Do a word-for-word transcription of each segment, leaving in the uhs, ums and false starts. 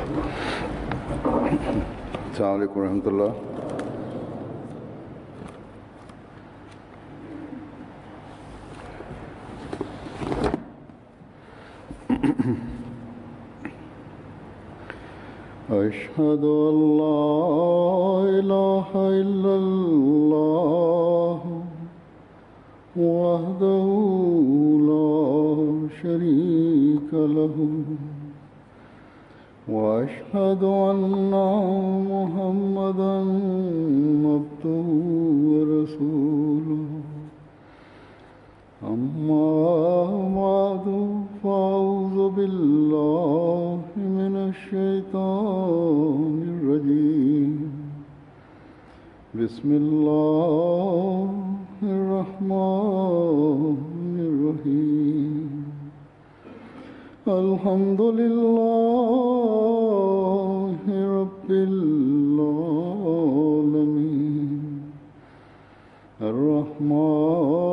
अस्सलाम वालेकुम रहमतुल्लाह। अशहदु अल्ला इलाहा इल्लल्लाह वहदहु ला शरीका लहु وأشهد أن محمدا عبده ورسوله أما بعد فأعوذ بالله من الشيطان الرجيم بسم الله الرحمن الرحيم الحمد لله رب العالمين الرحمن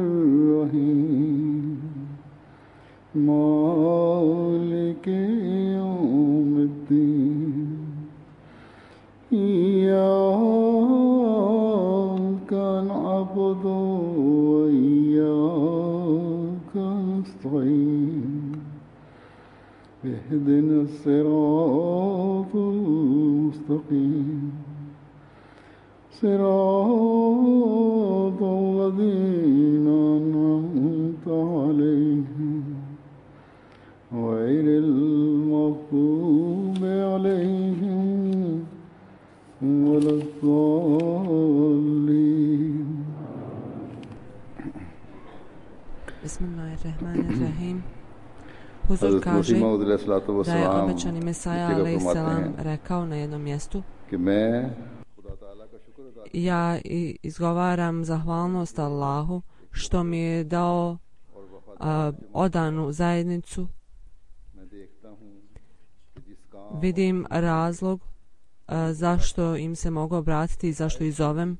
الرحيم مالك يوم الدين إياك نعبد وإياك نستعين اهدنا الصراط المستقيم صراط الذين أنعمت عليهم غير المغضوب عليهم ولا الضالين. Bismillahirrahmanirrahim. Huzur kaže da je obećani Mesaja alejselam rekao na jednom mjestu: ja izgovaram zahvalnost Allahu što mi je dao a, odanu zajednicu. Vidim razlog a, zašto im se mogu obratiti i zašto ih zovem.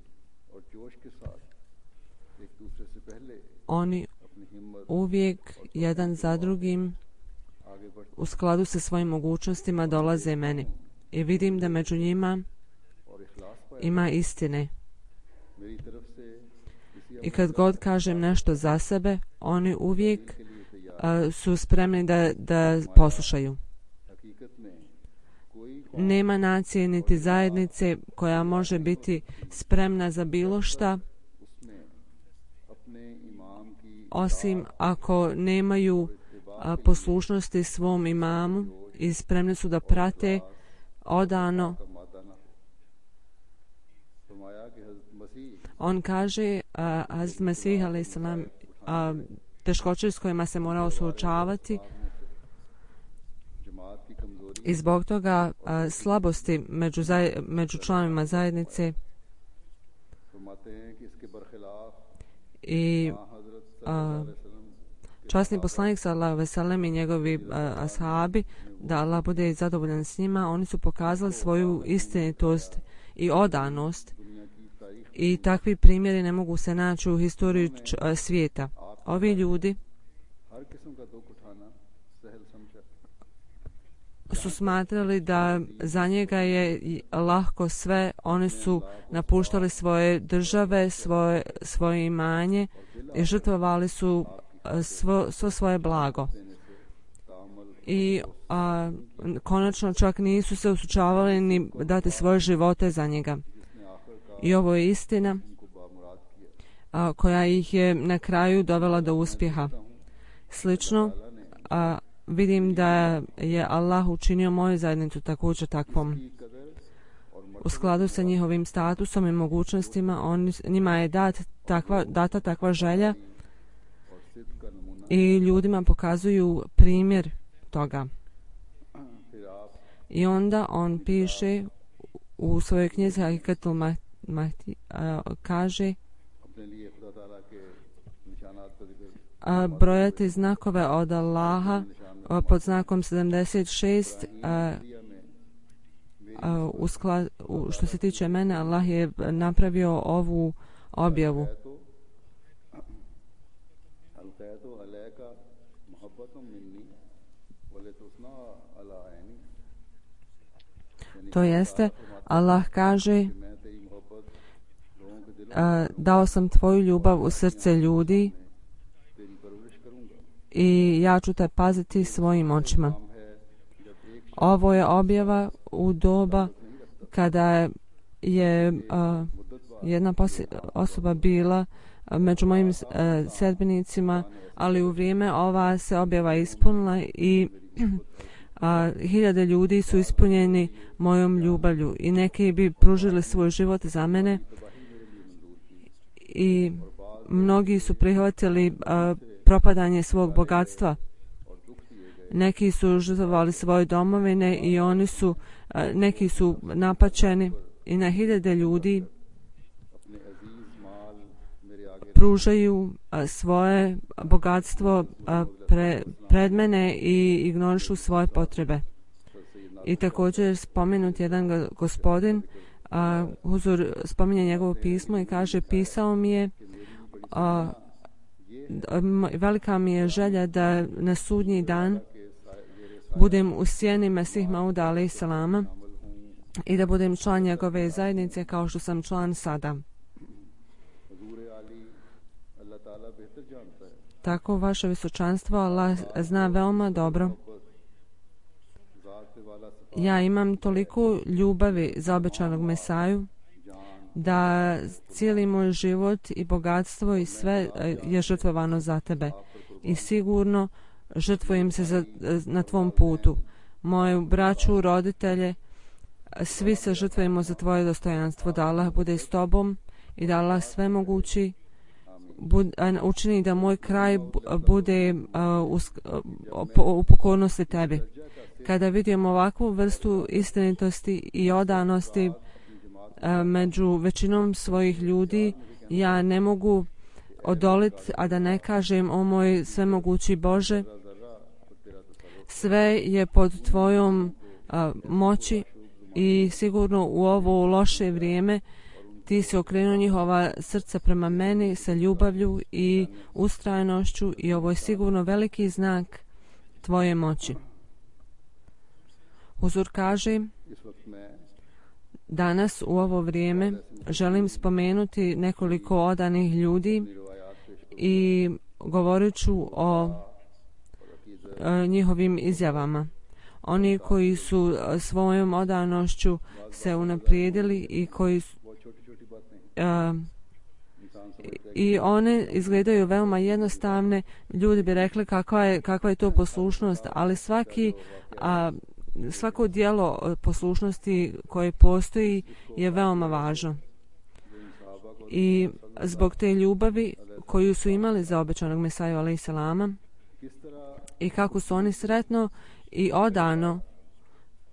Oni uvijek jedan za drugim u skladu sa svojim mogućnostima dolaze meni i vidim da među njima ima istine. I kad god kažem nešto za sebe, oni uvijek uh, su spremni da, da poslušaju. Nema nacije niti zajednice koja može biti spremna za bilo šta, osim ako nemaju a, poslušnosti svom imamu i spremni su da prate odano. On kaže, Hazret Mesih alejselam, teškoće s kojima se morao suočavati i zbog toga a, slabosti među, zaj, među članovima zajednice i a, časni poslanik sallallahu alejhi ve sellem i njegovi a, ashabi, da Allah bude zadovoljan s njima, oni su pokazali svoju istinitost i odanost i takvi primjeri ne mogu se naći u historiji č, a, svijeta. Ovi ljudi su smatrali da za njega je lahko sve. Oni su napuštali svoje države, svoje, svoje imanje i žrtvovali su svo, svo svoje blago. I a, konačno čak nisu se usučavali ni dati svoje živote za njega. I ovo je istina a, koja ih je na kraju dovela do uspjeha. Slično, a, vidim da je Allah učinio moju zajednicu također takvom. U skladu sa njihovim statusom i mogućnostima, on, njima je dat takva, data takva želja i ljudima pokazuju primjer toga. I onda on piše u svojoj knjizi Hakikatul Mahdi, kaže a, brojati znakove od Allaha a, pod znakom sedamdeset šest, a, a, u sklad, u, što se tiče mene, Allah je napravio ovu objavu. To jeste, Allah kaže, a, dao sam tvoju ljubav u srce ljudi i ja ću te paziti svojim očima. Ovo je objava u doba kada je a, jedna osoba bila među mojim uh, sedbenicima, ali u vrijeme ova se objava ispunila i a, hiljade ljudi su ispunjeni mojom ljubavlju i neki bi pružili svoj život za mene i mnogi su prihvatili a, propadanje svog bogatstva. Neki su žrtvovali svoje domovine i oni su, a, neki su napačeni i na hiljade ljudi pružaju a, svoje bogatstvo a, pre, pred mene i ignorišu svoje potrebe. I također spomenut jedan gospodin, a, Huzur spominje njegovo pismo i kaže, pisao mi je, a, velika mi je želja da na sudnji dan budem u sjeni Mesih Mauda alejhi selama i da budem član njegove zajednice kao što sam član sada. Tako vaše visočanstvo Allah zna veoma dobro. Ja imam toliko ljubavi za obećanog Mesaju da cijeli moj život i bogatstvo i sve je žrtvovano za tebe. I sigurno žrtvujem se za, na tvom putu. Moju braću, roditelje, svi se žrtvujemo za tvoje dostojanstvo. Da Allah bude s tobom i da Allah sve mogući Bud, učini da moj kraj bude uh, uh, u pokornosti tebi. Kada vidim ovakvu vrstu istinitosti i odanosti uh, među većinom svojih ljudi, ja ne mogu odoliti, a da ne kažem, o moj svemogući Bože, sve je pod tvojom uh, moći i sigurno u ovo loše vrijeme ti si okrenuo njihova srca prema meni sa ljubavlju i ustrajnošću i ovo je sigurno veliki znak tvoje moći. Huzur kaže, danas u ovo vrijeme želim spomenuti nekoliko odanih ljudi i govorit ću o e, njihovim izjavama. Oni koji su svojom odanošću se unaprijedili i koji su Uh, i one izgledaju veoma jednostavne. Ljudi bi rekli kakva je, kakva je to poslušnost, ali svaki, uh, svako dijelo poslušnosti koje postoji je veoma važno. I zbog te ljubavi koju su imali za obećanog Mesaju alejhi selama i kako su oni sretno i odano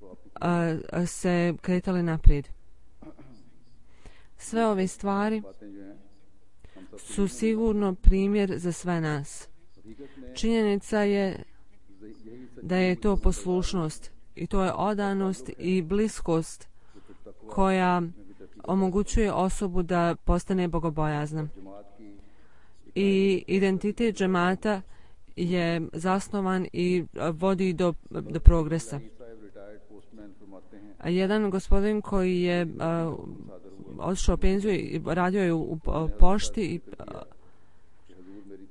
uh, se kretali naprijed. Sve ove stvari su sigurno primjer za sve nas. Činjenica je da je to poslušnost i to je odanost i bliskost koja omogućuje osobu da postane bogobojazna. I identitet džemata je zasnovan i vodi do, do progresa. Jedan gospodin koji je uh, otišao u penziju i radio je u, u, u pošti i uh,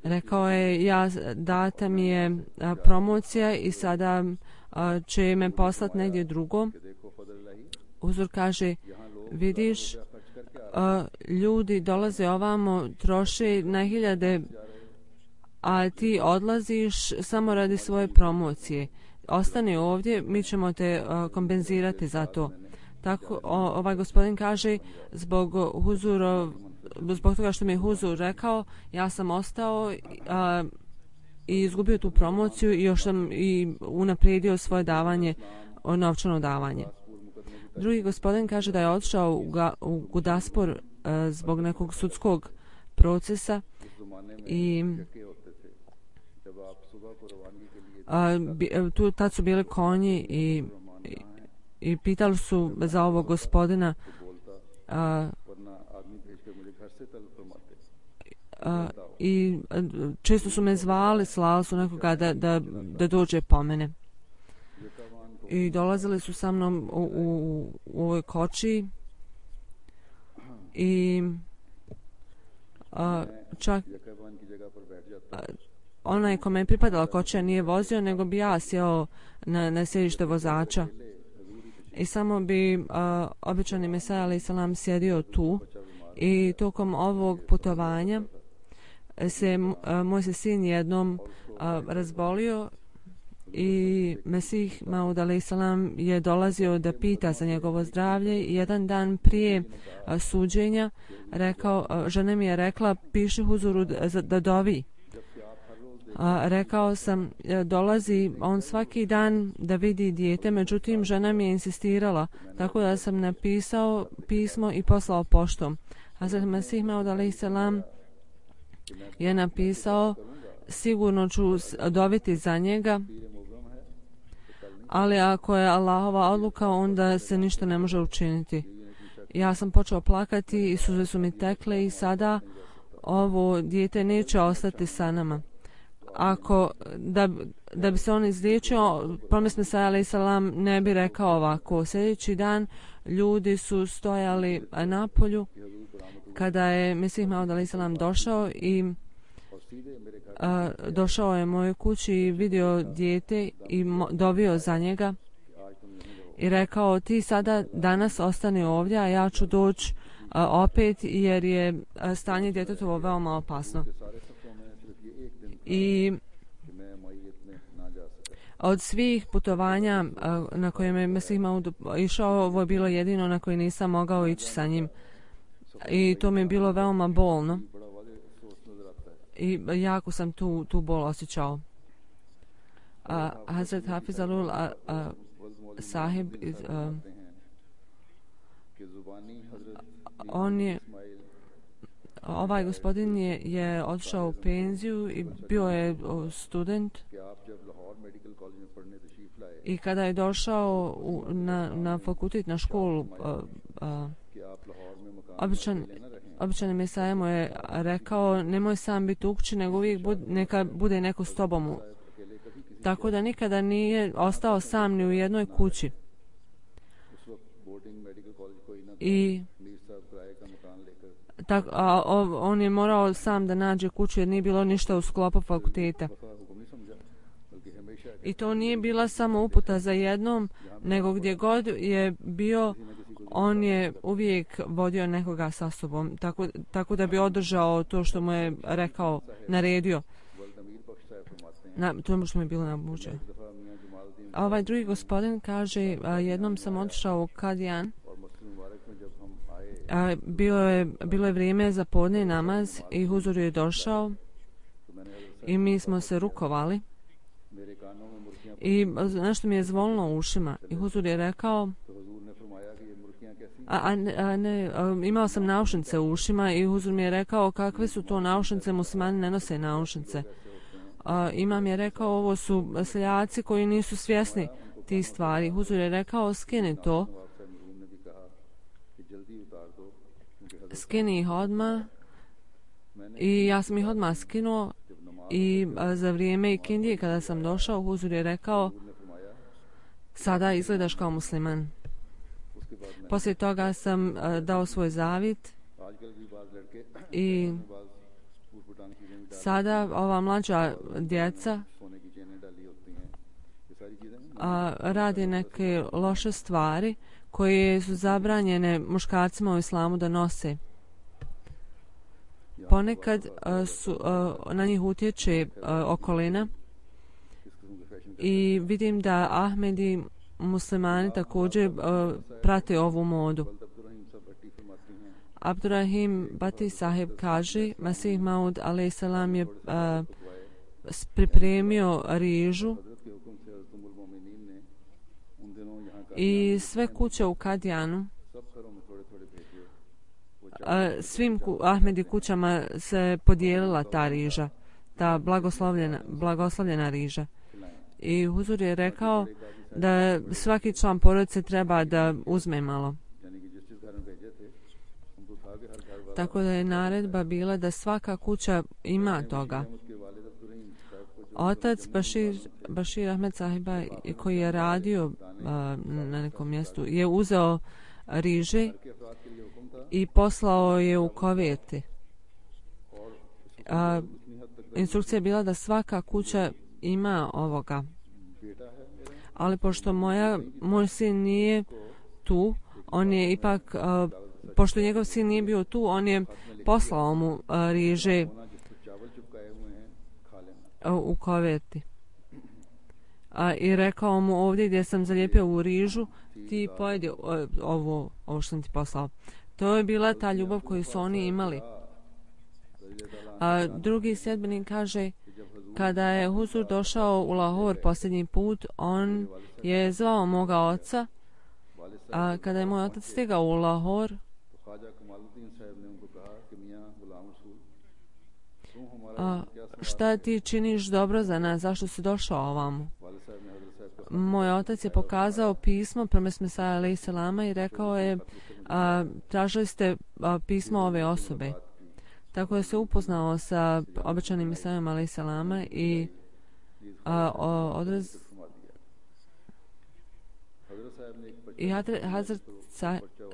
rekao je, ja data mi je uh, promocija i sada uh, će me poslati negdje drugo. Huzur kaže, vidiš, uh, ljudi dolaze ovamo, troše na hiljade, a ti odlaziš samo radi svoje promocije. Ostani ovdje, mi ćemo te uh, kompenzirati za to. Tako o, ovaj gospodin kaže, zbog huzurov, zbog toga što mi je Huzur rekao, ja sam ostao a, i izgubio tu promociju i još sam i unaprijedio svoje davanje, novčano davanje. Drugi gospodin kaže da je otišao u, ga, u Gudaspor a, zbog nekog sudskog procesa i a, bi, tu tad su bili konji i i pitali su za ovog gospodina a, a, i često su me zvali, slali su nekoga da, da, da dođe po mene. i dolazili su sa mnom u, u, u ovoj koči i a, čak a, onaj kome je pripadala kočija nije vozio, nego bi ja sjeo na, na sjedište vozača i samo bi a, običani Mesaja alaih salam sjedio tu. I tokom ovog putovanja se a, moj se sin jednom a, razbolio i Mesih Maud alaih salam je dolazio da pita za njegovo zdravlje. Jedan dan prije a, suđenja rekao, a, žena mi je rekla piši huzuru da, da dovi. A, rekao sam, dolazi on svaki dan da vidi dijete, međutim žena mi je insistirala, tako da sam napisao pismo i poslao poštom. Hazrat Mesih Maud alaih salam je napisao, sigurno ću doviti za njega, ali ako je Allahova odluka, onda se ništa ne može učiniti. Ja sam počeo plakati i suze su mi tekle i sada ovo dijete neće ostati sa nama. Ako, da, da bi se on izliječio, promis Mesaja alaih salam ne bi rekao ovako. Sljedeći dan ljudi su stojali na polju kada je Mesih Maud alaih salam došao i a, došao je mojoj kući i vidio dijete i mo, dovio za njega i rekao, ti sada danas ostani ovdje, a ja ću doći opet jer je a, stanje djetetovo veoma opasno. I od svih putovanja na kojem je Mesih Maud išao, ovo je bilo jedino na koje nisam mogao ići sa njim. I to mi je bilo veoma bolno. I jako sam tu, tu bol osjećao. A, Hazrat Hafiz Alul a, a, sahib, a, on je Ovaj gospodin je, je odšao u penziju i bio je student. I kada je došao u, na, na fakultet, na školu, a, a, običan, običan Mesaja mu je rekao, nemoj sam biti u kući, nego uvijek bud, neka bude neko s tobom. Tako da nikada nije ostao sam ni u jednoj kući. I tak, a, on je morao sam da nađe kuću jer nije bilo ništa u sklopu fakulteta. I to nije bila samo uputa za jednom, nego gdje god je bio, on je uvijek vodio nekoga sa sobom, tako, tako da bi održao to što mu je rekao, naredio. Na, to što mu je bilo nabuđe. A ovaj drugi gospodin kaže, a, jednom sam otišao u Kadijan. A, bilo, je, bilo je vrijeme za podne namaz i huzur je došao i mi smo se rukovali i nešto mi je zvolilo u ušima i huzur je rekao, a, a, a ne, a, imao sam naušnice u ušima i huzur mi je rekao, kakve su to naušnice, muslimani ne nose naušnice. A, imam je rekao, ovo su seljaci koji nisu svjesni tih stvari. Huzur je rekao, skini to, skini ih odmah. I ja sam ih odmah skinuo i a, za vrijeme ikindije kada sam došao, huzur je rekao, sada izgledaš kao musliman. Poslije toga sam a, dao svoj zavjet i sada ova mlađa djeca a, radi neke loše stvari koje su zabranjene muškarcima u islamu da nose. Ponekad a, su, a, na njih utječe a, okolina i vidim da Ahmedi muslimani također a, prate ovu modu. Abdurrahim Bati sahib kaže, Mesih Maud alaih salam je a, pripremio rižu i sve kuće u Kadijanu, a, svim ku, Ahmedi kućama se podijelila ta riža, ta blagoslovljena, blagoslovljena riža. I huzur je rekao da svaki član porodice treba da uzme malo. Tako da je naredba bila da svaka kuća ima toga. Otac Bašir, Bašir Ahmed sahiba koji je radio na nekom mjestu, je uzeo riže i poslao je u koverte. A, instrukcija je bila da svaka kuća ima ovoga. Ali pošto moja, moj sin nije tu, on je ipak, a, pošto njegov sin nije bio tu, on je poslao mu a, riže a, u koverti. A, i rekao mu ovdje gdje sam zalijepio u rižu, ti pojedi ovo, ovo što sam ti poslao. To je bila ta ljubav koju su oni imali. A drugi sljedbenik kaže, kada je Huzur došao u Lahor posljednji put, on je zvao moga oca, a kada je moj otac stigao u Lahor, a, šta ti činiš dobro za nas, zašto si došao ovamo? Moj otac je pokazao pismo prema Mesaja alejhi selama i rekao je, a, tražili ste a, pismo ove osobe. Tako je se upoznao sa obećanim Mesajom alejhi selama i a, o, odraz i Hazrat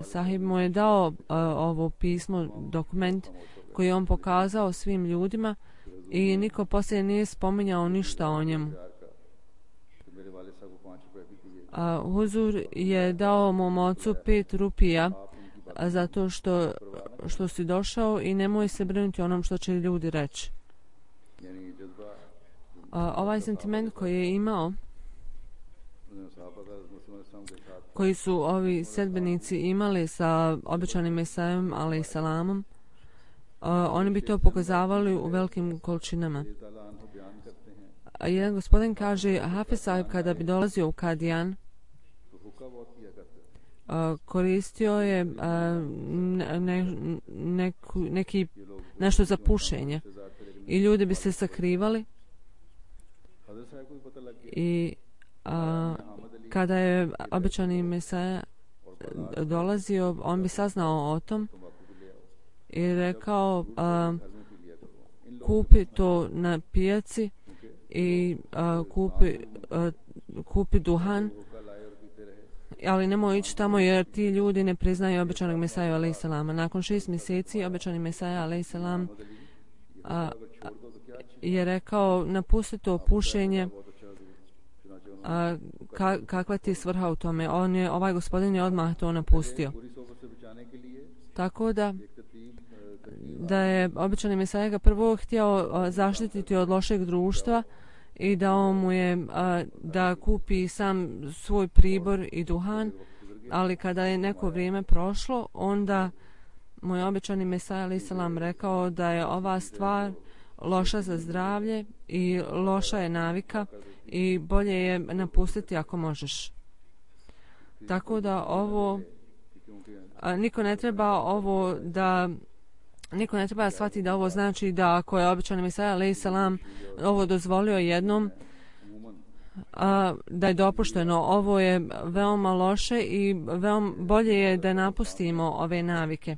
Sahib mu je dao a, ovo pismo, dokument koji je on pokazao svim ljudima i niko poslije nije spominjao ništa o njemu. A, Huzur je dao mom ocu pet rupija zato što, što si došao i nemoj se brinuti onom što će ljudi reći. A, ovaj sentiment koji je imao, koji su ovi sedbenici imali sa obećanim Mesajom alejhi selamom, oni bi to pokazavali u velikim količinama. A jedan gospodin kaže, Hafiz Sahib kada bi dolazio u Kadijan, Uh, koristio je uh, ne, neku, neki, nešto za pušenje i ljudi bi se sakrivali i uh, kada je obećani Mesaja dolazio, on bi saznao o tom i rekao uh, kupi to na pijaci i uh, kupi, uh, kupi duhan, ali nemoj ići tamo jer ti ljudi ne priznaju obećanog Mesaju alejhi selama. Nakon šest mjeseci obećani Mesaja alejhi selam a, a, je rekao napusti to pušenje, a, ka, kakva ti je svrha u tome. On je, ovaj gospodin je odmah to napustio. Tako da da je obećani Mesaja ga prvo htio a, zaštititi od lošeg društva i dao mu je a, da kupi sam svoj pribor i duhan, ali kada je neko vrijeme prošlo, onda moj obećani Mesaja alejhi selam rekao da je ova stvar loša za zdravlje i loša je navika i bolje je napustiti ako možeš. Tako da ovo a, niko ne treba ovo da Niko ne treba shvatiti da ovo znači da ako je obećani Mesaja alejhi selam ovo dozvolio jednom, a, da je dopušteno. Ovo je veoma loše i veoma bolje je da napustimo ove navike.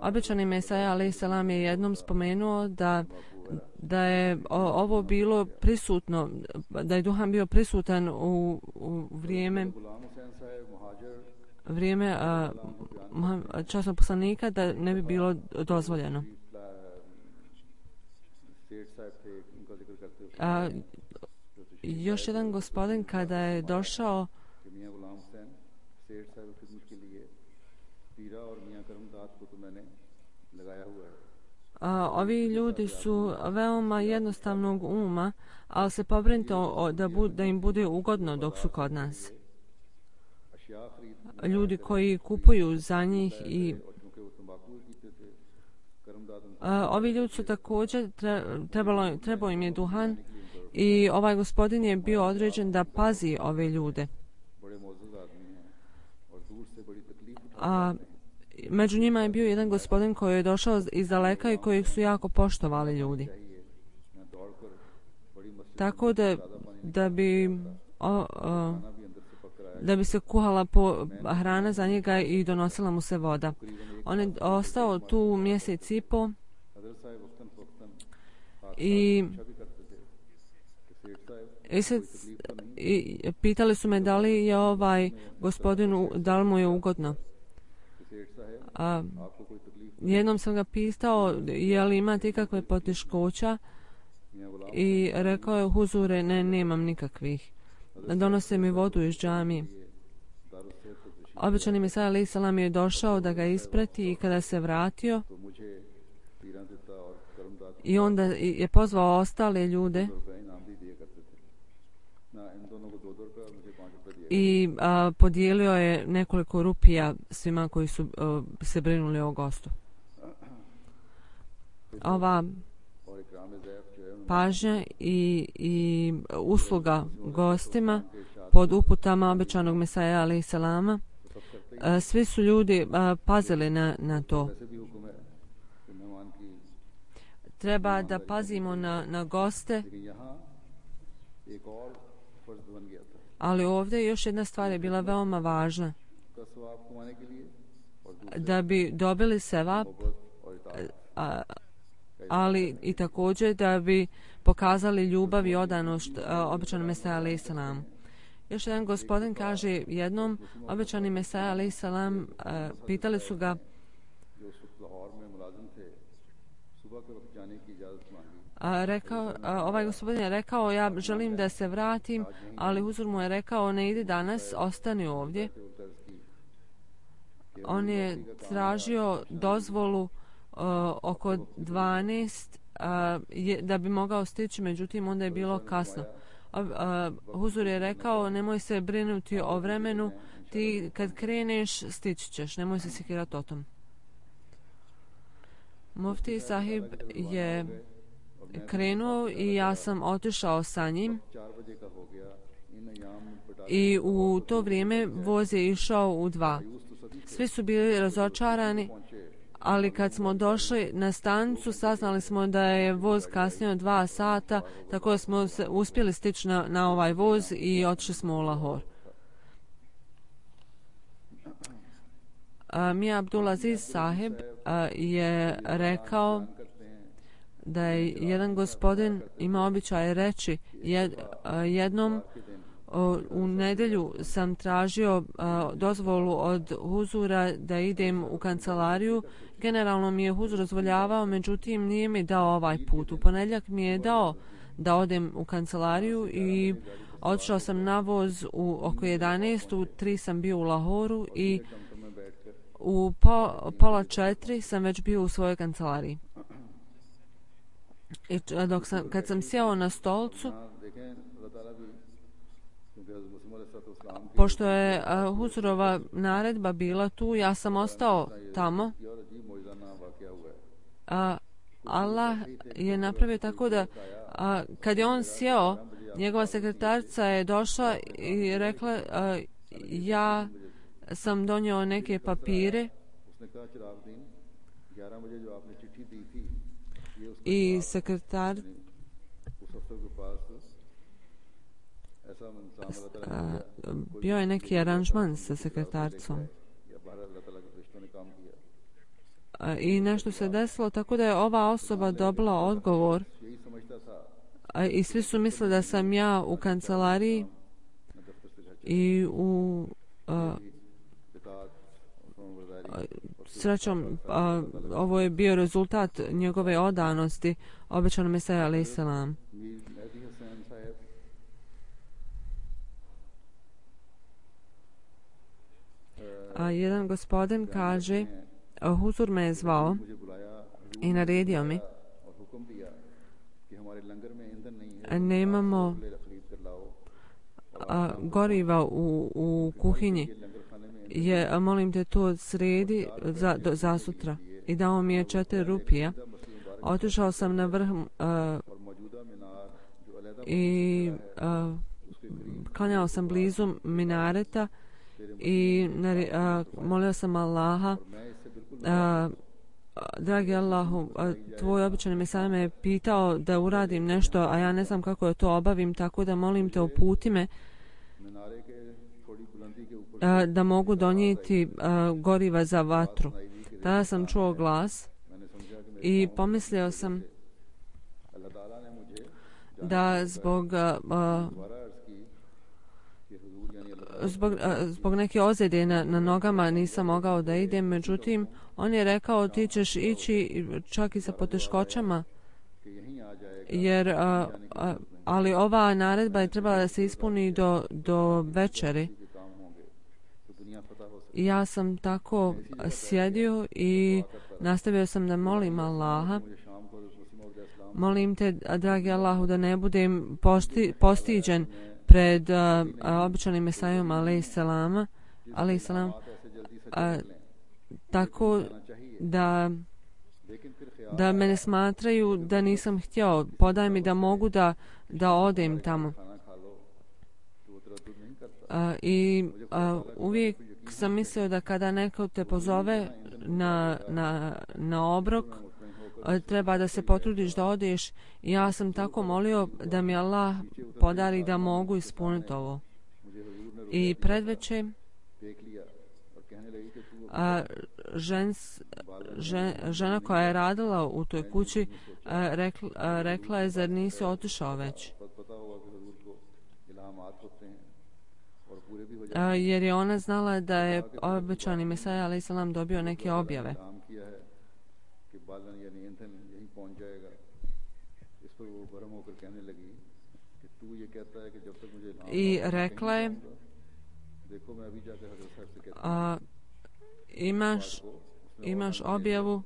Obećani Mesaja alejhi selam je jednom spomenuo da da je ovo bilo prisutno, da je duhan bio prisutan u, u vrijeme vrijeme a, časnog poslanika, da ne bi bilo dozvoljeno. A, još jedan gospodin kada je došao a, ovi ljudi su veoma jednostavnog uma, ali se pobrinite da, da im bude ugodno dok su kod nas. Ljudi koji kupuju za njih i a, ovi ljudi su također trebalo, trebao im je duhan i ovaj gospodin je bio određen da pazi ove ljude. A među njima je bio jedan gospodin koji je došao iz daleka i kojeg su jako poštovali ljudi. Tako da, da bi o, o, da bi se kuhala po hrana za njega i donosila mu se voda. On je ostao tu mjesec i po i i pitali su me da li je ovaj gospodin, da li mu je ugodno. A, jednom sam ga pitao je li imate ikakve poteškoća i rekao je huzure, ne, nemam nikakvih. Donose mi vodu iz džamije. Obećani Mesija alejhi selam je došao da ga isprati i kada se vratio i onda je pozvao ostale ljude i a, podijelio je nekoliko rupija svima koji su a, se brinuli o gostu. Ova pažnja i, i usluga gostima pod uputama obećanog Mesija alejhi selama, svi su ljudi a, pazili na, na to. Treba da pazimo na, na goste, ali ovdje još jedna stvar je bila veoma važna. Da bi dobili sevap, a, ali i također da bi pokazali ljubav i odanost obećanom Mesiji alejhi selam. Još jedan gospodin kaže, jednom obećani Mesija alejhi selam pitali su ga a, rekao, a, ovaj gospodin je rekao, ja želim da se vratim, ali huzur mu je rekao, ne idi danas, ostani ovdje. On je tražio dozvolu a, oko dvanaest a, je, da bi mogao stići, međutim onda je bilo kasno. A, a, huzur je rekao, nemoj se brinuti o vremenu, ti kad kreneš stići ćeš, nemoj se sekirati o tom. Mufti sahib je krenuo i ja sam otišao sa njim i u to vrijeme voz je išao u dva. Svi su bili razočarani, ali kad smo došli na stanicu saznali smo da je voz kasnio dva sata, tako da smo se uspjeli stići na, na ovaj voz i otišli smo u Lahor. Mija Abdulaziz sahib a, je rekao da je jedan gospodin ima običaj reći jed, a, jednom o, u nedjelju sam tražio a, dozvolu od huzura da idem u kancelariju. Generalno mi je huzur dozvoljavao, međutim nije mi dao ovaj put. U ponedjeljak mi je dao da odem u kancelariju i otišao sam na voz u oko jedanaest, u tri sam bio u Lahoru i u po, pola četiri sam već bio u svojoj kancelariji. I dok sam, kad sam sjeo na stolcu, pošto je uh, huzurova naredba bila tu, ja sam ostao tamo. Uh, Allah je napravio tako da uh, kad je on sjeo, njegova sekretarica je došla i rekla uh, ja sam donio neke papire i sekretar a, bio je neki aranžman sa sekretaricom a, i nešto se desilo tako da je ova osoba dobila odgovor a, i svi su mislili da sam ja u kancelariji i u a, srećom, a, ovo je bio rezultat njegove odanosti obećanom Mesiji alejhi selam. A jedan gospodin kaže, huzur me je zvao i naredio mi, nemamo a, goriva u, u kuhinji, je, molim te to sredi za, do, za sutra. I dao mi je četiri rupija. Otišao sam na vrh uh, i uh, klanjao sam blizu minareta i uh, molio sam Allaha, uh, dragi Allahu, uh, tvoj običani Mesija me je pitao da uradim nešto, a ja ne znam kako da to obavim, tako da molim te uputi me da mogu donijeti uh, goriva za vatru. Tada sam čuo glas i pomislio sam da zbog uh, zbog, zbog neke ozljede na, na nogama nisam mogao da idem, međutim on je rekao ti ćeš ići čak i sa poteškoćama, jer a, a, ali ova naredba je trebala da se ispuni do, do večeri. I ja sam tako sjedio i nastavio sam da molim Allaha. Molim te, dragi Allahu, da ne budem posti, postiđen pred uh, običanim Mesajom alejselama, alejselam, tako da da me ne smatraju da nisam htio. Podaj mi da mogu da, da odem tamo. Uh, I uh, uvijek sam mislio da kada neko te pozove na, na, na obrok, treba da se potrudiš da odeš. I ja sam tako molio da mi Allah podari da mogu ispuniti ovo. I predveče a, žens, žen, žena koja je radila u toj kući a, rekla, a, rekla je zar nisi otišao već? A, jer je ona znala da je obećani Mesaja alejselam dobio neke objave. I rekla je a, imaš, imaš objavu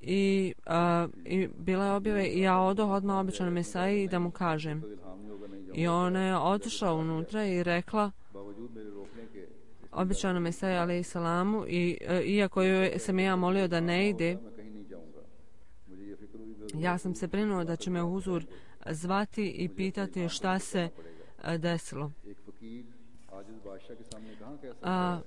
i, a, i bila je objave i ja odoh odmah običanom Mesaji da mu kažem. I ona je otišla unutra i rekla običanom Mesaji alejselamu i a, iako joj sam ja molio da ne ide, ja sam se brinuo da će me huzur zvati i pitati šta se a, desilo. A,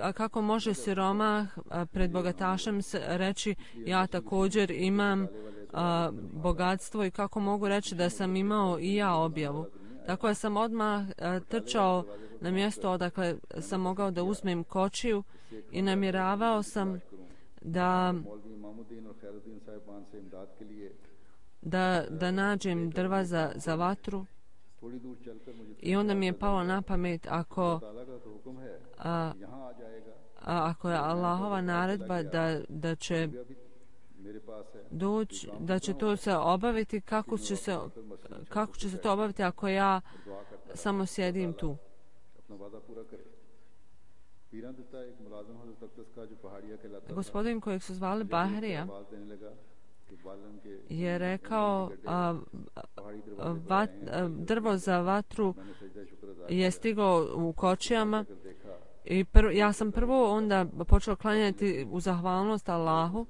a kako može siromah pred bogatašem reći ja također imam a, bogatstvo i kako mogu reći da sam imao i ja objavu. Tako da sam odmah a, trčao na mjesto odakle sam mogao da uzmem kočiju i namjeravao sam da da, da nađem drva za, za vatru. I onda mi je palo na pamet ako a, a, ako je Allahova naredba da, da će doći, da će to se obaviti, kako će se, kako će se to obaviti ako ja samo sjedim tu. Gospodin kojeg su zvali Bahrija je rekao a, a, vat, a, drvo za vatru je stiglo u kočijama i prv, ja sam prvo onda počeo klanjati u zahvalnost Allahu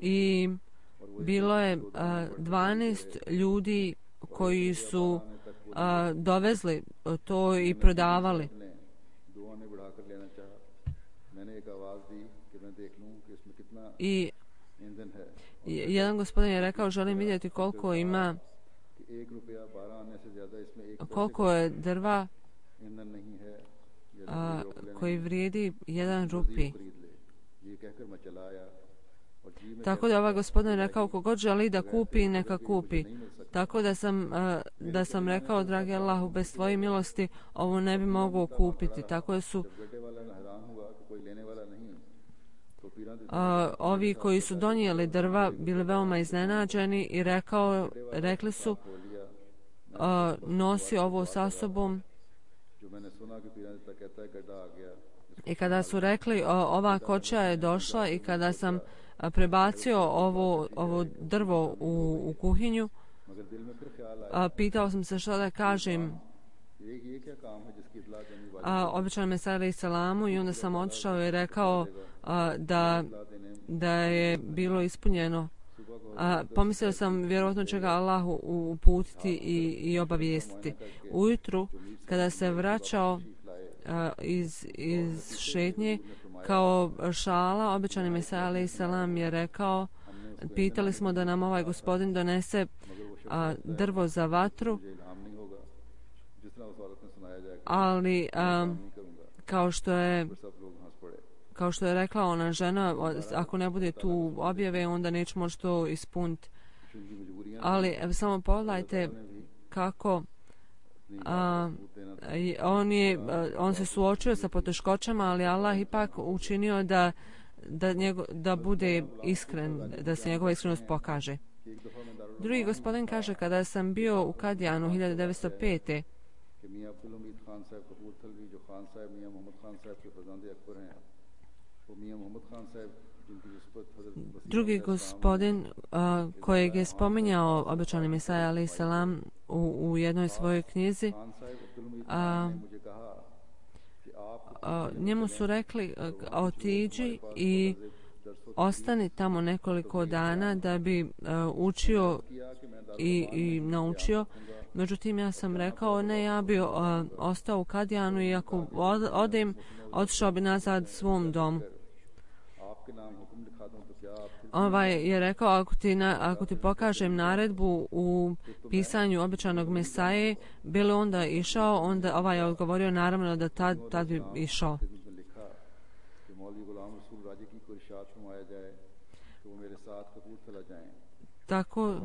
i bilo je a, dvanaest ljudi koji su a, dovezli to i prodavali. I jedan gospodin je rekao želim vidjeti koliko ima koliko je drva a, koji vrijedi jedan rupi. Tako da ovaj gospodin je rekao kogod želi da kupi neka kupi. Tako da sam, a, da sam rekao dragi Allahu bez tvoje milosti ovo ne bi mogao kupiti. Tako da su a, ovi koji su donijeli drva bili veoma iznenađeni i rekao, rekli su a, nosi ovo sa sobom. I kada su rekli o, ova kočija je došla i kada sam a, prebacio ovo, ovo drvo u, u kuhinju, a, pitao sam se što da kažem a, običanom Mesaju alejselamu i onda sam otišao i rekao a, da, da je bilo ispunjeno. A, pomislio sam vjerojatno će ga Allahu uputiti i, i obavijestiti. Ujutru kada se vraćao a, iz, iz šetnje kao šala, običani Mesaja alejselam je rekao, pitali smo da nam ovaj gospodin donese a, drvo za vatru, ali a, kao što je kao što je rekla ona žena, ako ne bude tu objave, onda neće moći to ispuniti. Ali evo, samo pogledajte kako a, on, je, on se suočio sa poteškoćama, ali Allah ipak učinio da, da, njego, da bude iskren, da se njegova iskrenost pokaže. Drugi gospodin kaže, kada sam bio u Kadijanu hiljadu devetsto pete. Drugi gospodin uh, kojeg je spominjao obećani Mesaja alaih salam u, u jednoj svojoj knjizi, uh, uh, njemu su rekli uh, otiđi i ostani tamo nekoliko dana da bi uh, učio i, i naučio. Međutim, ja sam rekao, ne, ja bi uh, ostao u Kadijanu i ako od, odem, otišao bi nazad svom domu. Ovaj je rekao, ako ti, na, ako ti pokažem naredbu u pisanju obećanog Mesaje, bilo onda išao, onda ovaj je odgovorio naravno da tad, tad bi išao. Tako,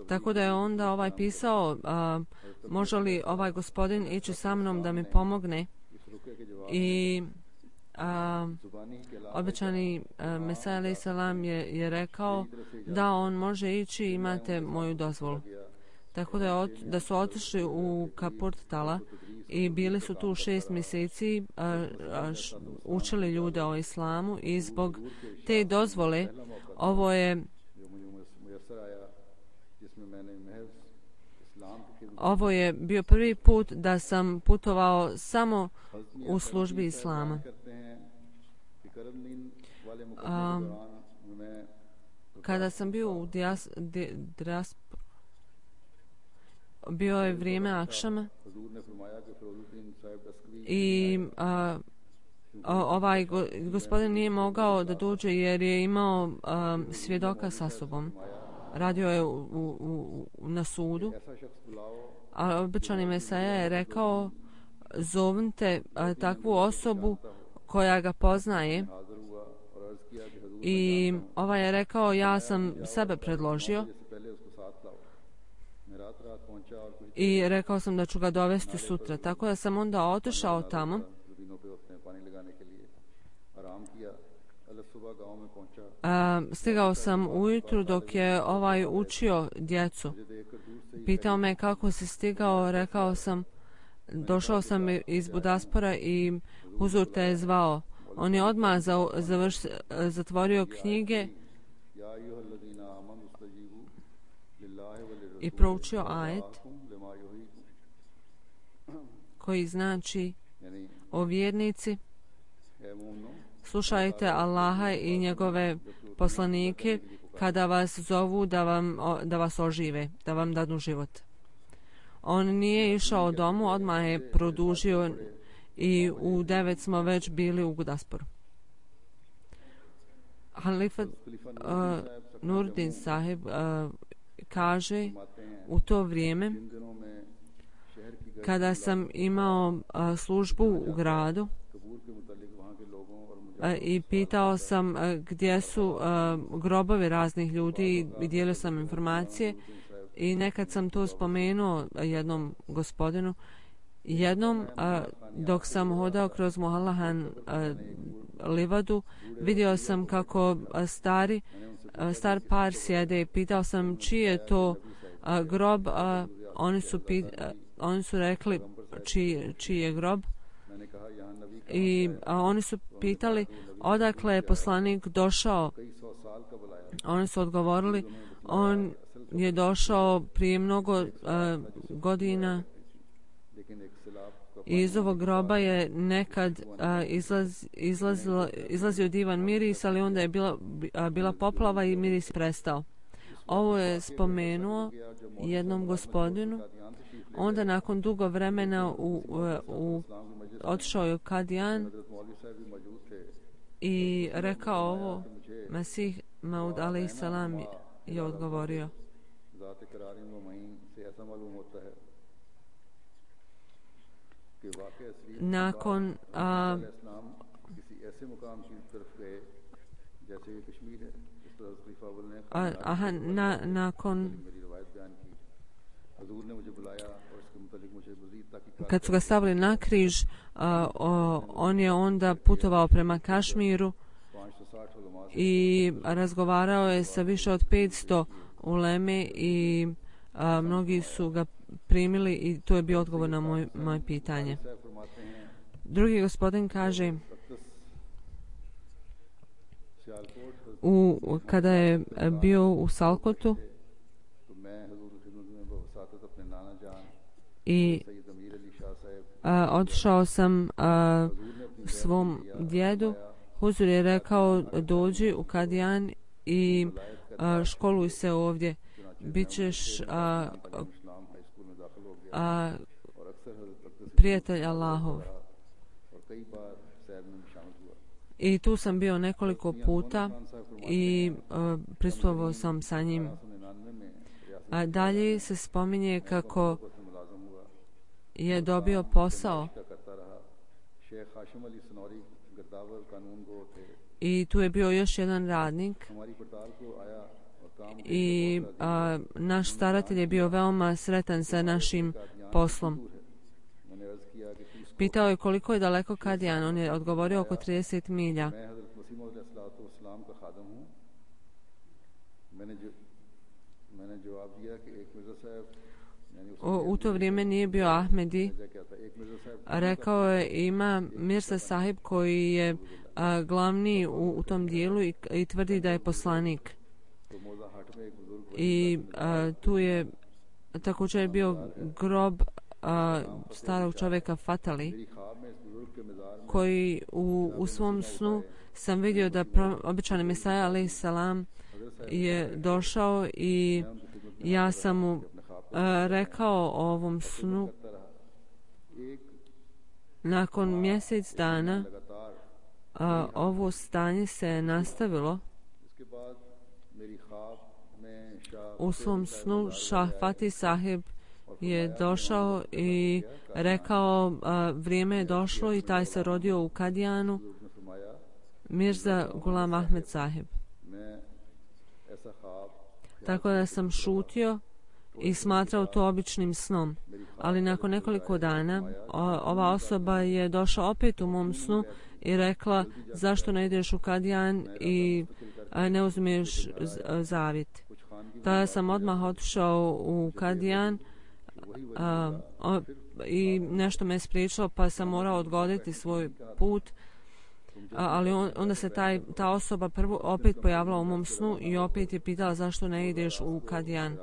tako da je onda ovaj pisao, a, može li ovaj gospodin ići sa mnom da mi pomogne, i a, obećani a, Mesaja alaih salam je, je rekao da on može ići, imate moju dozvolu. Tako da, je od, da su otišli u Kapurt Tala i bili su tu šest mjeseci, a, a, š, učili ljude o islamu, i zbog te dozvole ovo je Ovo je bio prvi put da sam putovao samo u službi islama. A, kada sam bio u dias, di, dias, bio je vrijeme akšama i a, ovaj go, gospodin nije mogao da dođe jer je imao a, svjedoka sa sobom. Radio je u, u, u, na sudu, a obećani Mesaja je rekao, zovnite a, takvu osobu koja ga poznaje, i ovaj je rekao, ja sam sebe predložio i rekao sam da ću ga dovesti sutra. Tako da sam onda otišao tamo. A, stigao sam ujutru dok je ovaj učio djecu. Pitao me kako si stigao, rekao sam, došao sam iz Budaspora i huzur te je zvao. On je odmah za, završ, zatvorio knjige i proučio ajet koji znači, o vjernici, slušajte Allaha i njegove poslanike kada vas zovu da, vam, da vas ožive, da vam dadu život. On nije išao domu, odmah je produžio i u devet smo već bili u Gudasporu. Halifa uh, Nurdin sahib uh, kaže, u to vrijeme kada sam imao uh, službu u gradu uh, i pitao sam uh, gdje su uh, grobovi raznih ljudi i dijelio sam informacije, i nekad sam to spomenuo jednom gospodinu. Jednom, a, dok sam hodao kroz Mohallahan a, livadu, vidio sam kako a, stari, a, star par sjede i pitao sam čiji je to a, grob, a oni su, pit, a, oni su rekli čiji, čiji je grob, i a, oni su pitali odakle je poslanik došao. Oni su odgovorili, on je došao prije mnogo a, godina. Iz ovog groba je nekad a, izlaz, izlazilo, izlazio divan miris, ali onda je bila, a, bila poplava i miris prestao. Ovo je spomenuo jednom gospodinu. Onda nakon dugo vremena u, u, u, otišao je u Kadijan i rekao ovo. Mesih Maud alaih salam je odgovorio. Nakon a, A, aha, na, nakon kad su ga stavili na križ, a, o, on je onda putovao prema Kašmiru i razgovarao je sa više od petsto uleme i a, mnogi su ga primili i to je bio odgovor na moj, moje pitanje. Drugi gospodin kaže, u, kada je bio u Salkotu i a, otišao sam a, svom djedu, Huzur je rekao dođi u Kadijan i a, školuj se ovdje, bit ćeš a, a, prijatelj Allahov. I tu sam bio nekoliko puta i uh, prisustvovao sam sa njim. A dalje se spominje kako je dobio posao i tu je bio još jedan radnik i a, naš staratelj je bio veoma sretan sa našim poslom. Pitao je koliko je daleko Kadijan, on je odgovorio oko trideset milja. U, u to vrijeme nije bio Ahmedi. Rekao je ima Mirza Sahib koji je a, glavni u, u tom dijelu i, i tvrdi da je poslanik. I a, tu je također je bio grob a, starog čovjeka Fatali koji u, u svom snu sam vidio da pro, običani Mesaja alaih salam je došao i ja sam mu a, rekao o ovom snu. Nakon mjesec dana a, ovo stanje se je nastavilo. U svom snu Šah Fatih Sahib je došao i rekao a, vrijeme je došlo i taj se rodio u Kadijanu, Mirza Gulam Ahmed Sahib. Tako da sam šutio i smatrao to običnim snom. Ali nakon nekoliko dana o, ova osoba je došla opet u mom snu i rekla zašto ne ideš u Kadijan i a, ne uzmeš zavit. Tada sam odmah otišao u Kadijan a, o, i nešto me je spriječilo pa sam morao odgoditi svoj put. A, ali on, onda se taj, ta osoba prvo opet pojavila u mom snu i opet je pitala zašto ne ideš u Kadijan.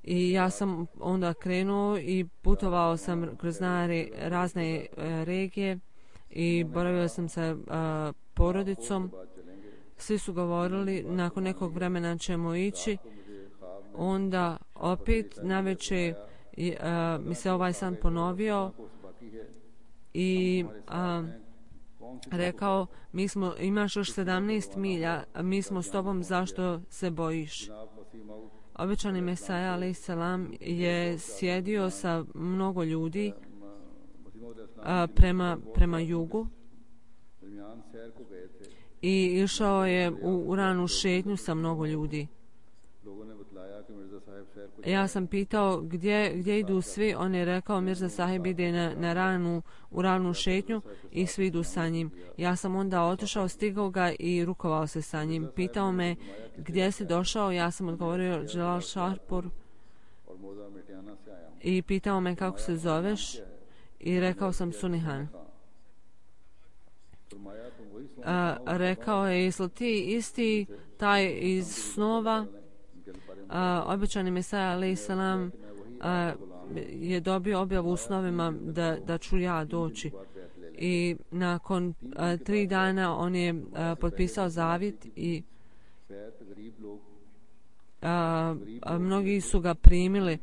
I ja sam onda krenuo i putovao sam kroz razne e, regije i boravio sam sa a, porodicom. Svi su govorili nakon nekog vremena ćemo ići. Onda opet navečer mi se ovaj san ponovio i a, rekao mi smo, imaš još sedamnaest milja, mi smo s tobom, zašto se bojiš? Običani Mesaja alaih salam je sjedio sa mnogo ljudi a, prema, prema jugu i išao je u, u ranu šetnju sa mnogo ljudi. Ja sam pitao gdje, gdje idu svi, on je rekao Mirza Sahib ide na, na ranu, u ranu šetnju i svi idu sa njim. Ja sam onda otišao, stigao ga i rukovao se sa njim. Pitao me gdje si došao, ja sam odgovorio Jalal Šarpur i pitao me kako se zoveš i rekao sam Sunihan. A, rekao je, jesi li ti isti taj iz snova? A, običani Mesaja alaih salam je dobio objavu u snovima da, da ću ja doći. I nakon a, tri dana on je a, potpisao zavjet i a, a, mnogi su ga primili.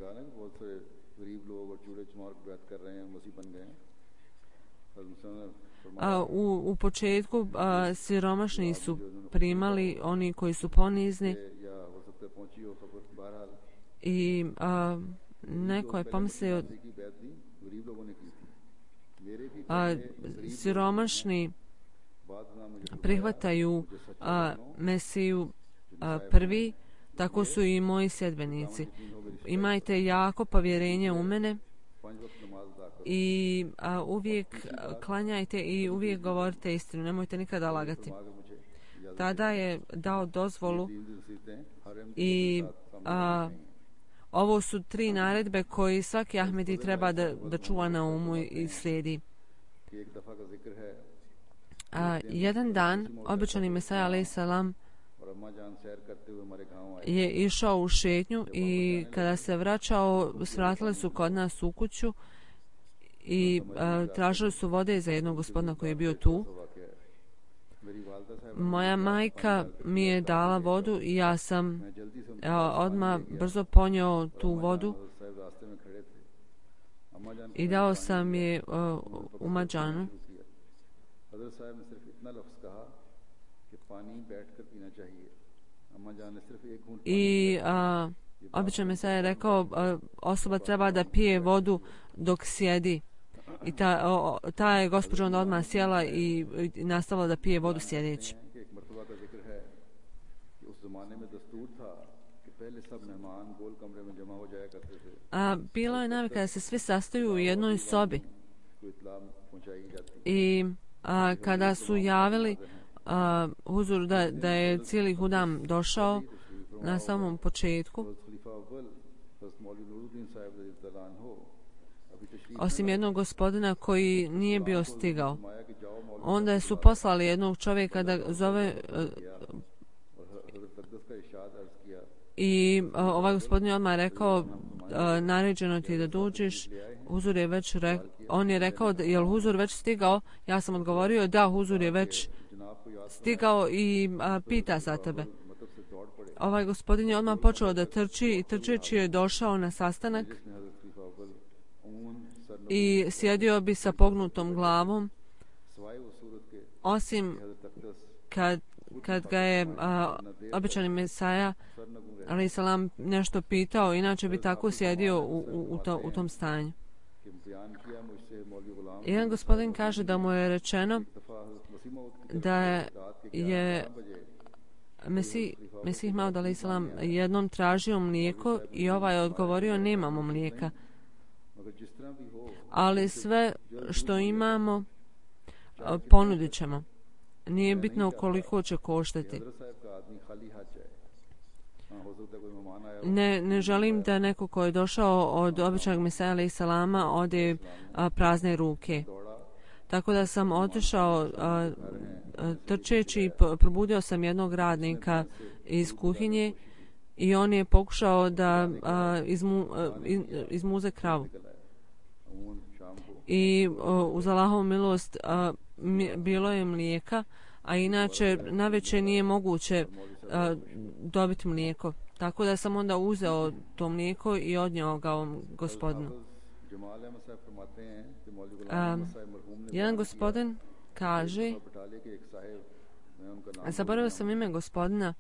A, u, u početku a, siromašni su primali, oni koji su ponizni. I a, neko je pomislio a, siromašni prihvataju a, Mesiju a, prvi, tako su i moji sljedbenici. Imajte jako povjerenje u mene i a, uvijek klanjajte i uvijek govorite istinu, nemojte nikada lagati. Tada je dao dozvolu i a, ovo su tri naredbe koji svaki Ahmedi treba da, da čuva na umu i slijedi. A, jedan dan obećani Mesaja alejhi selam je išao u šetnju i kada se vraćao, svratili su kod nas u kuću i a, tražili su vode za jednog gospodina koji je bio tu. Moja majka mi je dala vodu i ja sam a, odmah brzo ponio tu vodu i dao sam je a, u mađanu. I a, obično me sad je rekao a, osoba treba da pije vodu dok sjedi. I ta, o, ta je gospođa onda odmah sjela i, i nastavila da pije vodu sjedeći. A, bilo je navika da se svi sastaju u jednoj sobi. I a, kada su javili a, huzur da, da je cijeli hudam došao na samom početku, osim jednog gospodina koji nije bio stigao, onda su poslali jednog čovjeka da zove i ovaj gospodin je odmah rekao naređeno ti da dođeš. Huzur je već re, on je rekao da je huzur već stigao. Ja sam odgovorio da huzur je već stigao i a, pita za tebe. Ovaj gospodin je odmah počeo da trči i trčeći je došao na sastanak i sjedio bi sa pognutom glavom, osim kad, kad ga je a, obećani Mesaja alejhi selam nešto pitao, inače bi tako sjedio u, u, u, to, u tom stanju. Jedan gospodin kaže da mu je rečeno da je Mesih, Mesih Maud alejhi selam jednom tražio mlijeko i ovaj je odgovorio nemamo mlijeka. Ali sve što imamo ponudit ćemo. Nije bitno koliko će koštati. Ne, ne želim da neko ko je došao od običajnog Mesaja alejhi selama ode a, prazne ruke. Tako da sam otišao a, a, trčeći i probudio sam jednog radnika iz kuhinje i on je pokušao da a, izmu, a, iz, izmuze kravu. I a, uz Allahovu milost a, mi, bilo je mlijeka, a inače navečer nije moguće a, dobiti mlijeko. Tako da sam onda uzeo to mlijeko i odnio ga ovom gospodinu. A, jedan gospodin kaže, zaboravio sam ime gospodina,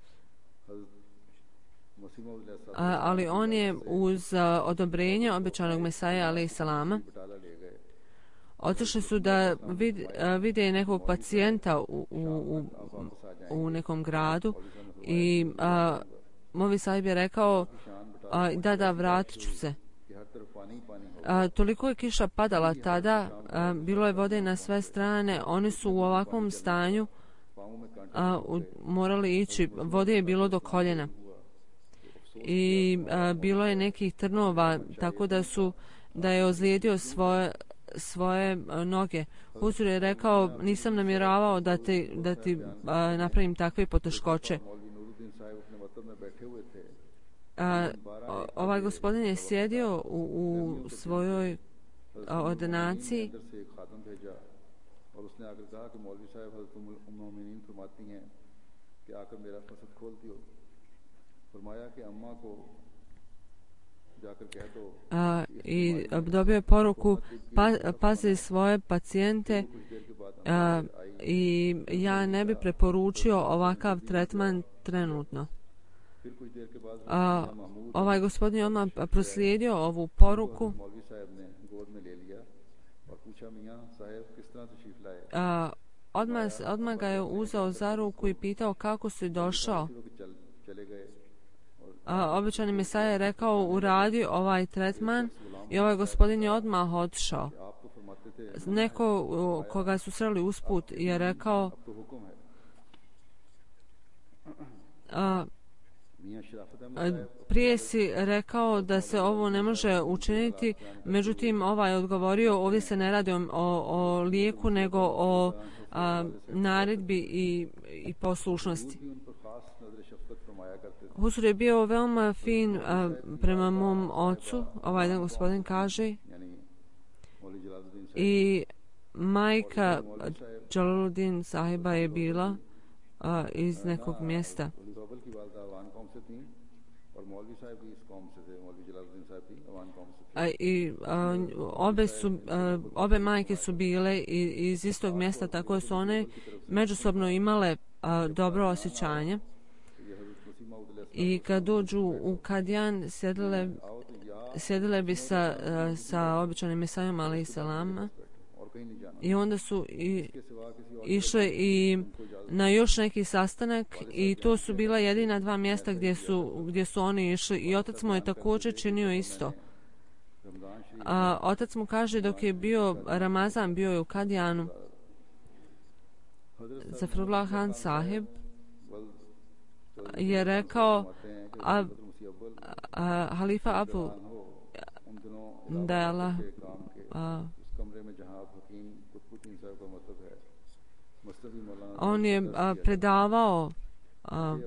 a, ali on je uz a, odobrenje obećanog Mesaja alejhi selama otišli su da vid, a, vide nekog pacijenta u, u, u, u nekom gradu i a, Movi sahib je rekao a, da da vratit ću se. A, toliko je kiša padala tada, a, bilo je vode na sve strane, oni su u ovakvom stanju a, u, morali ići, vode je bilo do koljena i a, bilo je nekih trnova, tako da su da je ozlijedio svoje svoje a, noge. Huzur je rekao nisam namjeravao da ti, da ti a, napravim takve poteškoće. A, ovaj gospodin je sjedio u, u svojoj a, ordinaciji a, i dobio je poruku pa, pazi svoje pacijente a, i ja ne bi preporučio ovakav tretman trenutno. A, ovaj gospodin je odmah proslijedio ovu poruku. A, odmah, odmah ga je uzeo za ruku i pitao kako si došao. A, obećani Mesaja je rekao uradi ovaj tretman i ovaj gospodin je odmah otišao. Neko koga su sreli usput je rekao a, prije si rekao da se ovo ne može učiniti, međutim ovaj je odgovorio ovdje se ne radi o, o lijeku nego o a, naredbi i, i poslušnosti. Huzur je bio veoma fin a, prema mom ocu, ovaj jedan gospodin kaže, i majka Jalaluddin sahiba je bila a, iz nekog mjesta. A, i a, obe su a, obe majke su bile iz istog mjesta, tako su one međusobno imale a, dobro osjećanje. I kad dođu u Kadjan sjedile, sjedile bi sa, sa običanim Mesajom alejhi selam i onda su i, išle i na još neki sastanak i to su bila jedina dva mjesta gdje su, gdje su oni išli i otac mu je također činio isto. A, otac mu kaže dok je bio Ramazan, bio je u Kadjanu, Zafrullah Khan sahib je rekao a, a, halifa Abu da je Allah a, on je a, predavao a,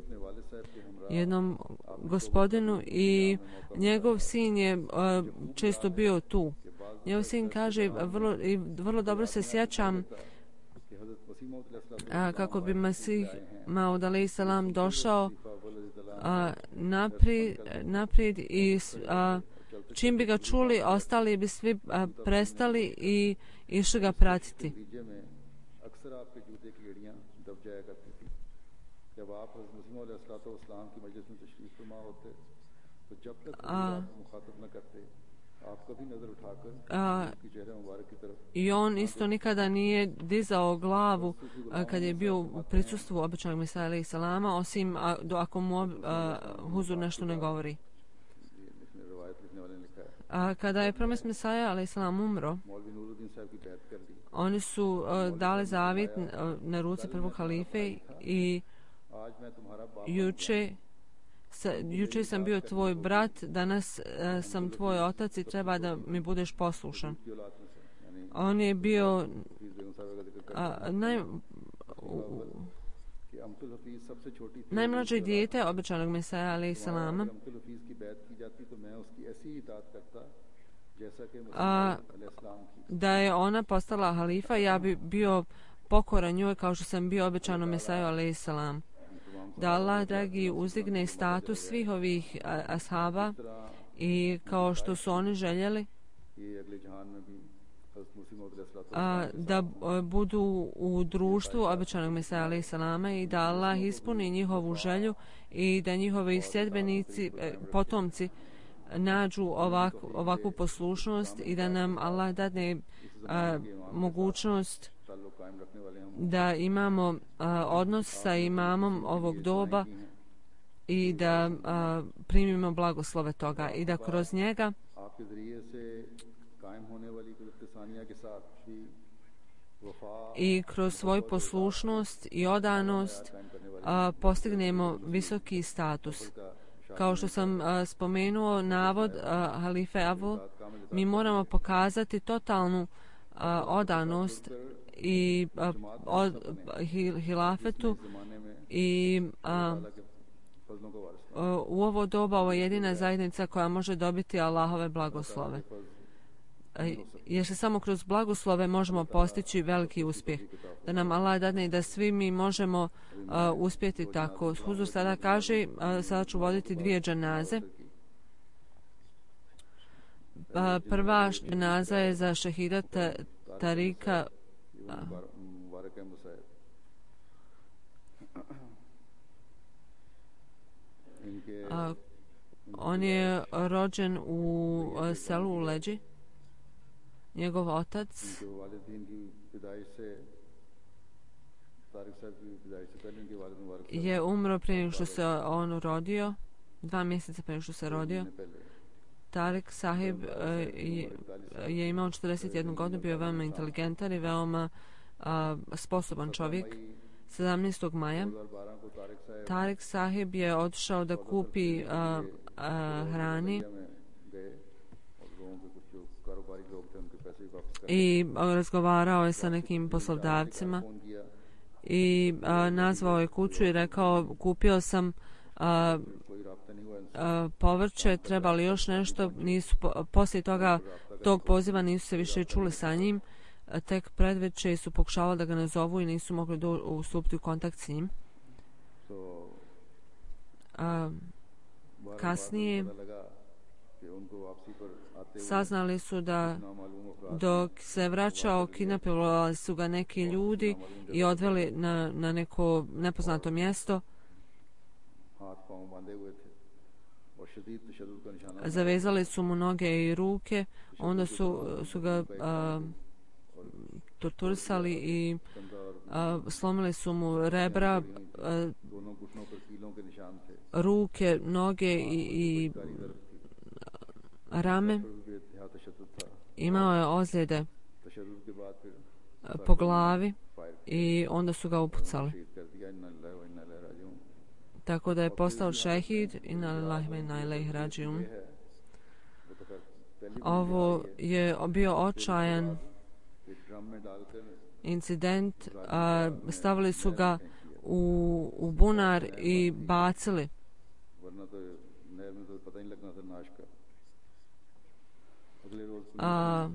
jednom gospodinu i njegov sin je a, često bio tu. Njegov sin kaže vrlo, i vrlo dobro se sjećam a, kako bi Masih Maud alejhi selam došao a, naprijed, naprijed i a, čim bi ga čuli ostali bi svi a, prestali i išli ga pratiti. A, a, i on isto nikada nije dizao glavu a, kad je bio u prisustvu običanog Mesaja alejhi selama, osim a, do, ako mu a, huzur nešto ne govori. A, kada je promest Mesaja alejhi selam umro, oni su a, dali zavjet a, na ruci prvog halife i juče Sa, juče sam bio tvoj brat, danas uh, sam tvoj otac i treba da mi budeš poslušan. On je bio uh, naj, uh, najmlađe dijete običanog Mesaja alejhi selama. A, da je ona postala halifa, ja bi bio pokoran njoj kao što sam bio običano Mesaju alejhi selam. Da Allah, dragi, uzdigne status svih ovih ashaba i kao što su oni željeli a, da budu u društvu običanog Mesaja alejhi selama i da Allah ispuni njihovu želju i da njihovi sljedbenici, potomci nađu ovakvu, ovakvu poslušnost i da nam Allah dadne a, mogućnost da imamo a, odnos sa imamom ovog doba i da a, primimo blagoslove toga i da kroz njega i kroz svoju poslušnost i odanost a, postignemo visoki status. Kao što sam a, spomenuo navod a, halife Abu, mi moramo pokazati totalnu a, odanost i a, od, hil, hilafetu i a, a, u ovo doba ovo je jedina zajednica koja može dobiti Allahove blagoslove. A, jer se samo kroz blagoslove možemo postići veliki uspjeh. Da nam Allah dadne i da svi mi možemo a, uspjeti tako. Huzur sada kaže, a, sada ću voditi dvije dženaze. A, prva dženaza je za šehida Tarika a, on je rođen u a, selu u Leđi. Njegov otac je umro prije nego što se on rodio, dva mjeseca prije nego što se rodio. Tarik Sahib je, je imao četrdeset jednu godinu, bio veoma inteligentan i veoma a, sposoban čovjek. sedamnaestog maja Tarik Sahib je otišao da kupi a, a, hrani i razgovarao je sa nekim poslodavcima i a, nazvao je kuću i rekao kupio sam a, a, povrće, treba li još nešto. Nisu, po, poslije toga tog poziva nisu se više čuli sa njim, a, tek predveče su pokušavali da ga nazovu i nisu mogli do, ustupiti u kontakt s njim. A, kasnije saznali su da dok se vraćao kidnapovali su ga neki ljudi i odveli na, na neko nepoznato mjesto. Zavezali su mu noge i ruke, onda su, su ga a, torturisali i a, slomili su mu rebra, a, ruke, noge i, i rame. Imao je ozljede po glavi i onda su ga upucali. Tako da je postao šehid i na lillahi wa inna ilaihi rađiun. Ovo je bio očajan incident. A, stavili su ga u, u bunar i bacili. A,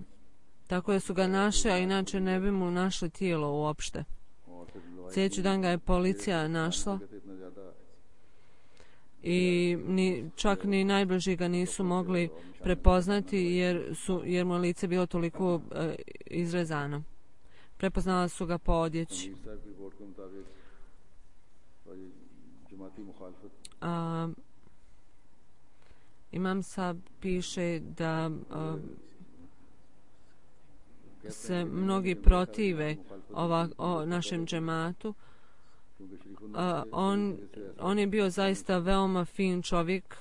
tako da su ga našli, a inače ne bi mu našli tijelo uopšte. Sljedeći dan ga je policija našla i ni, čak ni najbliži ga nisu mogli prepoznati jer, su, jer mu lice bilo toliko e, izrezano. Prepoznala su ga po odjeći. A, Imam Sab piše da a, se mnogi protive ova, o našem džematu. A, on, on je bio zaista veoma fin čovjek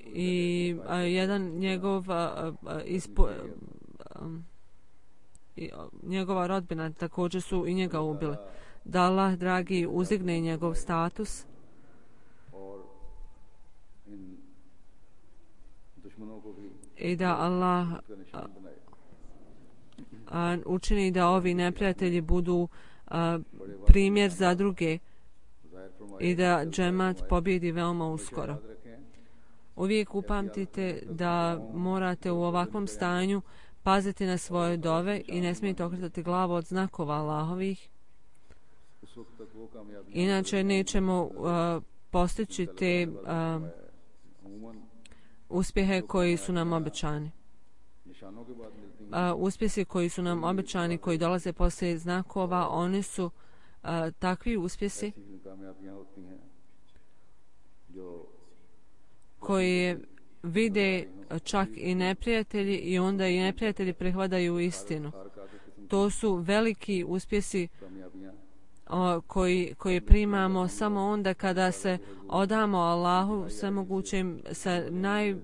i a, jedan njegov a, a, ispo, a, i, a, njegova rodbina također su i njega ubili. Da Allah dragi uzigne njegov status i da Allah a, a, učini da ovi neprijatelji budu a, primjer za druge i da džemat pobjedi veoma uskoro. Uvijek upamtite da morate u ovakvom stanju paziti na svoje dove i ne smijete okretati glavu od znakova Allahovih. Inače nećemo uh, postići te uh, uspjehe koji su nam obećani. Uh, uspjesi koji su nam obećani, koji dolaze poslije znakova, oni su uh, takvi uspjesi koji vide čak i neprijatelji i onda i neprijatelji prihvataju istinu. To su veliki uspjesi o, koji, koji primamo samo onda kada se odamo Allahu svemogućem sa naj,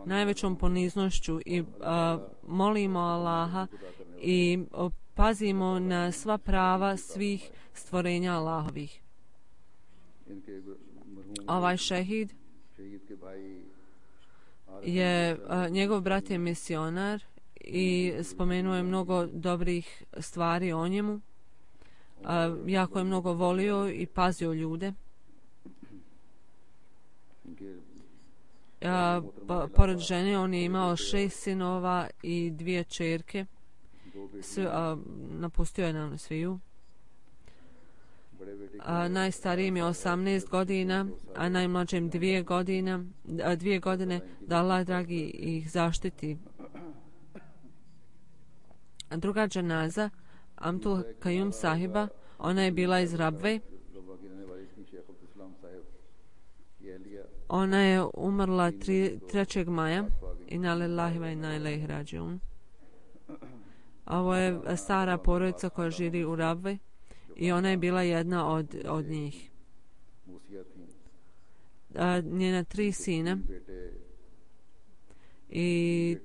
najvećom poniznošću i a, molimo Allaha i o, pazimo na sva prava svih stvorenja Allahovih. Ovaj šehid je, a, njegov brat je misionar i spomenuo je mnogo dobrih stvari o njemu. A, jako je mnogo volio i pazio ljude. A, po, pored žene on je imao šest sinova i dvije čerke. Sve, a, napustio je nam sviju. A, najstarijim je osamnaest godina, a najmlađim dvije godina, a, dvije godine, da Allah dragi ih zaštiti. A druga dženaza, Amtul Kajum sahiba, ona je bila iz Rabve. Ona je umrla trećeg maja. Inna lillahi wa inna ilaihi rađiun. Ovo je stara porodica koja živi u Rabve. i ona je bila jedna od, od njih. A, njena tri sina i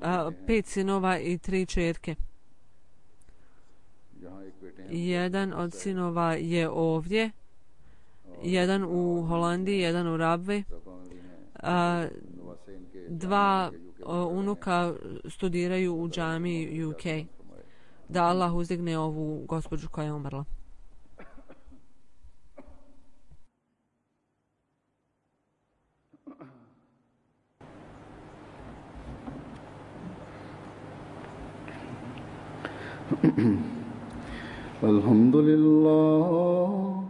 a, pet sinova i tri čerke. Jedan od sinova je ovdje, jedan u Holandiji, jedan u Rabvi. A, dva a, unuka studiraju u džamiji U K. Da Allah uzdigne ovu gospođu koja je umrla. Alhamdulillah,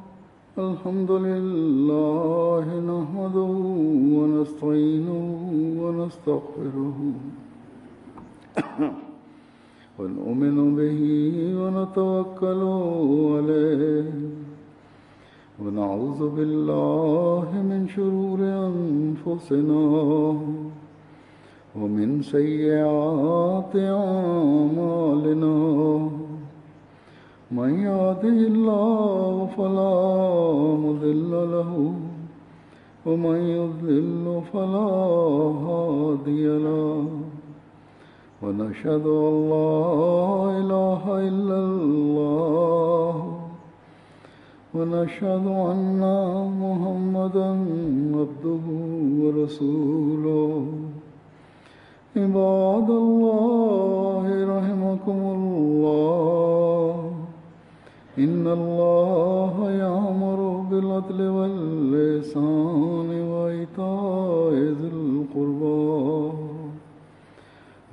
alhamdulillah, nahmaduhu wa nasta'inuhu wa nastaghfiruhu wa nu'minu bihi wa natawakkalu alayhi wa na'udhu billahi min shururi anfusina ومن سيئات أعمالنا من يهده الله فلا مضل له ومن يضلل فلا هادي له ونشهد أن لا إله إلا الله ونشهد أن محمدا عبده ورسوله عباد الله رحمكم الله إن الله يأمر بالعدل والإحسان وإيتاء ذي القربى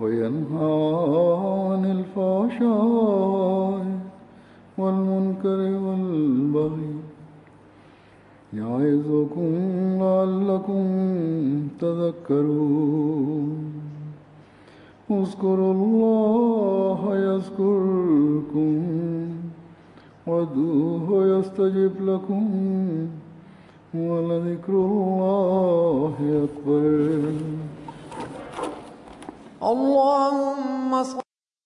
وينهى عن الفحشاء والمنكر والبغي يعظكم لعلكم تذكرون اذكروا الله يذكركم وادعوه يستجب لكم ولذكر الله أكبر. الله